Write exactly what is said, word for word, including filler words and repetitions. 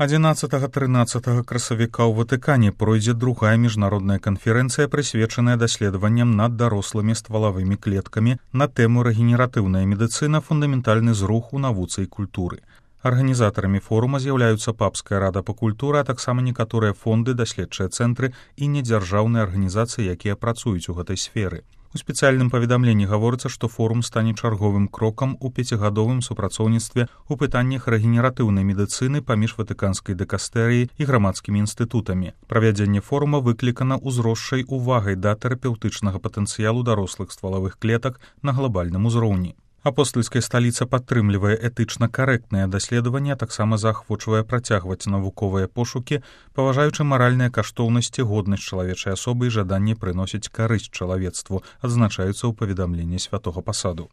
адзінаццатага-трынаццатага красавіка ў Ватыкане пройдзе другая міжнародная канферэнцыя, прысвечаная даследаванням над дарослымі ствалавымі клеткамі на тэму рэгенератыўная медыцына, фундаментальны зрух у навуцы і культуры. Арганізатарамі форума з'яўляюцца Папская рада па культуры, а таксама некаторыя фонды, даследчыя цэнтры і недзяржаўныя арганізацыі, якія працуюць у гэтай сферы. У спецыяльным паведамленні гаворыцца, што форум стане чарговым крокам у пяцігадовым супрацоўніцтве ў пытаннях рэгенератыўнай медыцыны паміж ватыканскай дэкастэрыяй і грамадскімі інстытутамі. Правядзенне форума выклікана ўзросшай увагай да тэрапеўтычнага патэнцыялу дарослых ствалавых клетак на глабальным узроўні. Апостальская сталіца падтрымлівае этычна карэктныя даследаванні, а таксама заахвочвае працягваць навуковыя пошукі, паважаючы маральныя каштоўнасці, годнасць чалавечай асобы і жаданне прыносіць карысць чалавецтву, адзначаюцца ў паведамленні святога пасаду.